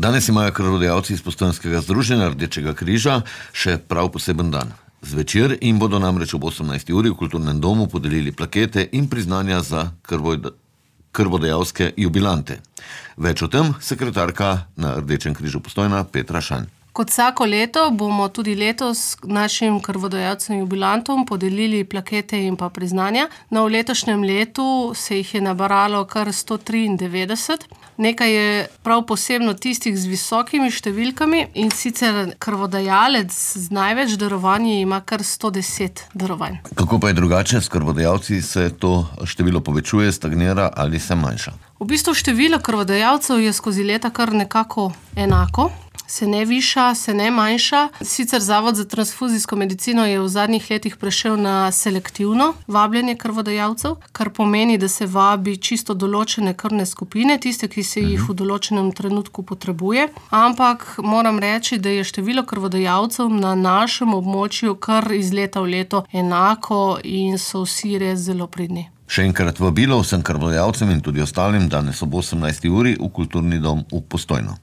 Danes imajo krvodajalci iz Postojnskega združenja Rdečega križa še prav poseben dan. Zvečer jim bodo namreč ob 18. uri v kulturnem domu podelili plakete in priznanja za krvodajalske jubilante. Več o tem sekretarka na Rdečem križu Postojna Petra Šanj. Kot vsako leto bomo tudi letos našim krvodajalcem jubilantom podelili plakete in pa priznanja. No, v letošnjem letu se jih je nabralo kar 193. Nekaj je prav posebno tistih z visokimi številkami, in sicer krvodajalec z največ darovanji ima kar 110 darovanj. Kako pa je drugače? S krvodajalci se to število povečuje, stagnira ali se manjša? V bistvu število krvodajalcev je skozi leta kar nekako enako. Se ne viša, se ne manjša. Sicer Zavod za transfuzijsko medicino je v zadnjih letih prešel na selektivno vabljenje krvodajalcev, kar pomeni, da se vabi čisto določene krvne skupine, tiste, ki se jih v določenem trenutku potrebuje. Ampak moram reči, da je število krvodajalcev na našem območju kar iz leta v leto enako in so vsi res zelo pridni. Še enkrat vabilo vsem krvodajalcem in tudi ostalim danes ob 18. uri v Kulturni dom v Postojno.